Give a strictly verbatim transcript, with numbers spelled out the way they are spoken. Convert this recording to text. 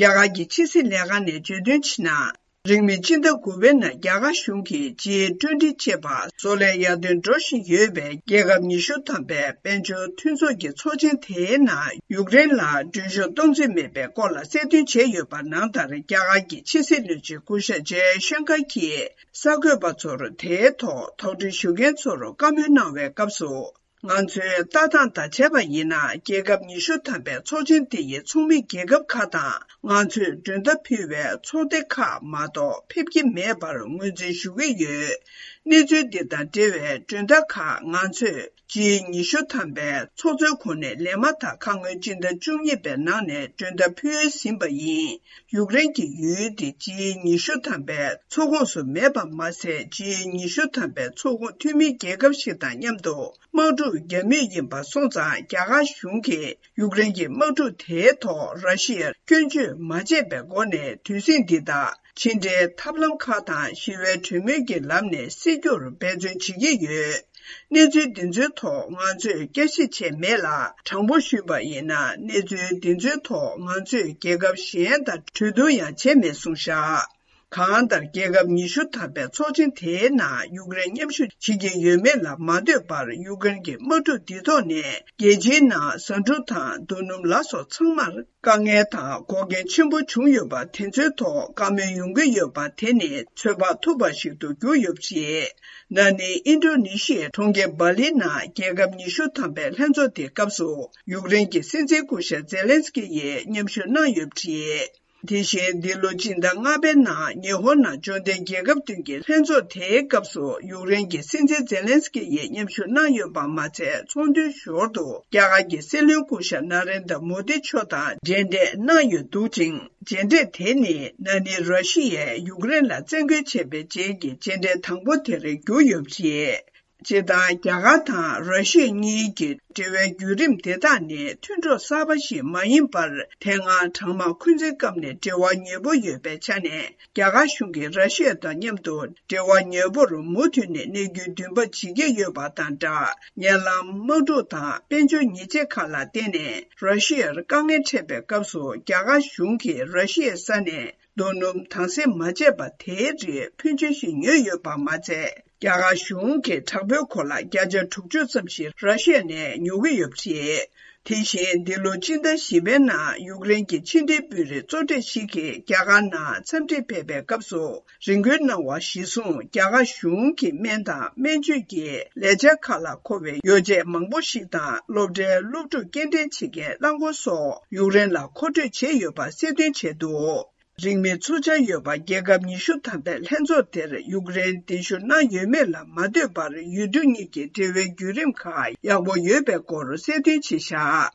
རྒྱ་གར་གྱི་ཕྱི་སྲིད་ལས་ཁང་ནས་བརྗོད་དོན་བྱས་ན། རིང་མིན་སྤྱི་ཟླ་དགུ་པའི་ནང་རྒྱ་གར་གཞུང་གིས་ཇི་ཊུ་ཝེན་ཊི་ཅེས་པ་བཟོ་ལས་ཡར་ཐོན་འགྲོ་བཞིན་ཡོད་པའི་རྒྱལ་ཁབ་ཉི་ཤུ་ཐམ་པའི་དཔལ་འབྱོར་མཐུན་ཚོགས་ཀྱི་ཚོགས་ཆེན་དེའི་ནང་ཡུཀ་རེན་ལ་མགྲོན་ཤོག་གཏོང་རྩིས་མེད་པའི་སྐོར་ལ་གསལ་སྟོན་བྱས་ཡོད་པ་ནང་ལྟར། རྒྱ་གར་གྱི་ཕྱི་སྲིད་བློན་ཆེན་སྐུ་ཞབས་ཇེ་ཤན་ཀར་གྱིས་གསར་འགོད་པ་ཚོར་དེའི་ཐོག་དོགས་འདྲི་ཞུ་མཁན་ཚོར་བཀའ་མོལ་གནང་བའི་སྐབས་སུ། ང་ཚོའི་ལྟ་སྟངས་དང་བྱས་པ་ཡིན་ན། རྒྱལ་ཁབ་ཉི་ཤུ་ཐམ་པའི་ཚོགས་ཆེན་འདི་ཡི་ཚོགས་མི་རྒྱལ་ཁབ་ཁག་དང་། ང་ཚོས་མགྲོན་བརྡ་ཕུལ་བའི་ཚོགས་སྡེ་ཁག་མ་གཏོགས་ཕེབས་ཀྱི་མེད་པར་ངོས་འཛིན་ཞུ་གི་ཡོད། གནས་ཚུལ་འདི་དང་འབྲེལ་བའི་མགྲོན་བརྡ་ཁག་ང་ཚོས་ཇི་ཉི་ཤུ་ཐམ་པའི་ཚོགས་གཙོའི་གོ་གནས་ལེན་མ་ཐག་ཁ་སྔོན་སྤྱི་ཟླ་བཅུ་གཉིས་པའི་ནང་ནས་མགྲོན་བརྡ་ཕུལ་ཟིན་པ་ཡིན། ཡུཀ་རེན་གྱི་ཡུལ་དེ་ཇི་ཉི་ཤུ་ཐམ་པའི་ཚོགས་ཁོངས་སུ་མེད་པ་མ་ཟད། ཇི་ཉི་ཤུ་ཐམ་པའི་ཚོགས་ཁོངས་འཐུས་མི་རྒྱལ་ཁབ་ཞིག་དང་མཉམ་དུ་དམག་འཁྲུག་རྒྱག་མུས་ཡིན་པ་སོང་ཙང་། རྒྱ་གར་གཞུང་གིས་ཡུཀ་རེན་གྱི་དམག་འཁྲུག་དེའི་ཐོག་ར་ཤི་ཡར་སྐྱོན་བརྗོད་མ་བྱས་པའི་སྒོ་ནས་དུས་ཟིང་འདི་དག་ཕྱི་འབྲེལ་ཐབས་ལམ་ཁག་དང་ཞི་བའི་གྲོས་མོལ་གྱི་ལམ་ནས་སེལ་རྒྱུར་འབད་བརྩོན་བྱེད་ཀྱི་ཡོད། གནས་ཚུལ་འདི་ཚོའི་ཐོག་ང་ཚོས་བསྐྱར་ཞིབ་བྱས་མེད་ལ། དྲང་པོ་ཞུས་པ་ཡིན་ན། གནས་ཚུལ་འདི་ཚོའི་ཐོག་ང་ཚོས་རྒྱལ་ཁབ་གཞན་དང་གྲོས་བསྡུར་ཡང་བྱས་མེད་གསུངས་བཞག། གང་ལྟར། རྒྱལ་ཁབ་ཉི་ཤུ་ཐམ་པའི་ཚོགས་ཆེན་དེའི་ནང་ཡུཀ་རེན་མཉམ་ཞུགས་བྱེད་ཀྱི་ཡོད་མེད་ལ་མ་ལྟོས་པར། ཡུཀ་རེན་གྱི་དམག་འཁྲུག་འདི་ཐོག་ནས་རྒྱལ་སྤྱིའི་ནང་ཟ་འབྲུ་དང་རྡོ་སྣུམ་ལ་སོགས་ཚང་མར་དཀའ་ངལ་དང་འགོག་རྐྱེན་ཆེན་པོ་བྱུང་ཡོད་པ་དེ་ཚོའི་ཐོག་བཀའ་མོལ་ཡོང་གི་ཡོད་པ་དེ་ནི་ཚོད་དཔག་ཐུབ་པ་ཞིག་ཏུ་གྱུར་ཡོད་པ་རེད། ན་ནིང་ཨིན་ཌོ་ནེ་ཤི་ཡའི་གྲོང་ཁྱེར་སྦ་ལི་ནང་རྒྱལ་ཁབ་ཉི་ཤུ་ཐམ་པའི་ལྷན་ཚོགས་དེའི་སྐབས་སུ། ཡུཀ་རེན་གྱི་སྲིད་འཛིན་སྐུ་ཞབས་ཛེ་ལན་སི་ཀི་ཡིས་མཉམ་ཞུགས་གནང་ཡོད་པ་རེད། དེ་བཞིན་འདི་ལོ་སྤྱི་ཟླ་ལྔ་པའི་ནང་ཉི་ཧོང་ནང་འབྱོར་ལྡན་རྒྱལ་ཁབ་བདུན་གྱི་ལྷན་ཚོགས་དེའི་སྐབས་སུ། ཡུཀ་རེན་གྱི་སྲིད་འཛིན་ཛེ་ལན་སི་ཀི་ཡིས་མཉམ་ཞུགས་གནང་ཡོད་པ་མ་ཚད། ཚོགས་འདུའི་ཞོར་དུ་རྒྱ་གར་གྱི་སྲིད་བློན་སྐུ་ཞབས་ན་རེན་དྲ་མོ་དི་མཆོག་དང་མཇལ་འཕྲད་གནང་ཡོད་འདུག་ཅིང་། མཇལ་འཕྲད་དེ་ནི་ན་ནིང་ར་ཤི་ཡས་ཡུཀ་རེན་ལ་བཙན་རྒོལ་བྱས་པའི་རྗེས་ཀྱི་མཇལ་འཕྲད་དང་པོ་དེར་གྱུར་ཡོད་པ་རེད། སྤྱིར་བཏང་རྒྱ་གར་དང་ར་ཤི་ཡ་གཉིས་ཀྱི་འབྲེལ་བའི་བརྒྱུད་རིམ་དེ་དག་ནི་མཐུན་གྲོགས་གསར་པ་ཞིག་མ་ཡིན་པར། དེ་སྔ་གྲང་དམག་འཁོན་འཛིན་སྐབས་ནས་འབྲེལ་བ་ཉེ་པོ་ཡོད་པའི་ཆ་ནས། རྒྱ་གར་གཞུང་གིས་ར་ཤི་ཡ་དང་མཉམ་དུ་འབྲེལ་བ་ཉེ་པོར་མུ་མཐུད་ནས་གནས་རྒྱུའི་འདུན་པ་བྱེད་ཀྱི་ཡོད་པ་དང་སྦྲགས། ཉེ་ལམ་དམག་འཁྲུག་དང་དཔལ་འབྱོར་ཉེས་ཆད་ཁག་ལ་བརྟེན་ནས་ར་ཤི་ཡར་དཀའ་ངལ་འཕྲད་པའི་སྐབས་སུ། རྒྱ་གར་གཞུང་གིས་ར་ཤི་ཡའི་ས་ནས་རྡོ་སྣུམ་དྭངས་གསལ་མ་བྱས་པ་དེའི་རིགས་ཕོན་ཆེ་ཞིག་ཉོས་ཡོད་པ་མ་ཚད། རྒྱ་གར་གཞུང་གིས་དྲག་པོའི་གོ་ལག་བརྒྱ་ཆ་དྲུག་ཅུ་ཙམ་ཞིག་ར་ཤི་ཡ་ནས་ཉོ་གི་ཡོད་པ་རེད། དེ་བཞིན་འདི་ལོ་སྤྱི་ཟླ་བཞི་པའི་ནང་ཡུཀ་རེན་གྱི་ཕྱི་འབྲེལ་དཔོན་རིགས་གཙོ་གྲས་ཤིག་གིས་རྒྱ་གར་ནང་འཚམས་འདྲིར་ཕེབས་པའི་སྐབས་སུ། རེ་སྐུལ་གནང་བ་གཞིར་བཟུང་། རྒྱ་གར་གཞུང་གིས་སྨན་དང་སྨན་བཅོས་ཀྱི་ལས་འཆར་ཁག་ལ་མཁོ་བའི་ཡོ་བྱད་མང་པོ་ཞིག་དང་། སློབ་གྲྭའི་སློབ་ཕྲུག་སྐྱེལ་འདྲེན་བྱེད་མཁན་རླངས་འཁོར་སོགས་ཡུཀ་རེན་ལ་མཁོ་སྤྲོད་བྱས་ཡོད་པ་གསལ་སྟོན་བྱས་འདུག། རིང་མིན་ཚོགས་འཆར་ཡོད་པ་རྒྱལ་ཁབ་ཉི་ཤུ་ཐམ་པའི་ལྷན་ཚོགས་དེར་ཡུཀ་རེན་གདན་ཞུ་གནང་ཡོད་མེད་ལ་མ་ལྟོས་པར། ཡུལ་གྲུ་གཉིས་ཀྱི་འབྲེལ་བའི་བརྒྱུད་རིམ་ཁག་ཡག་པོ་ཡོད་པའི་སྐོར་གསལ་སྟོན་བྱས་བཞག།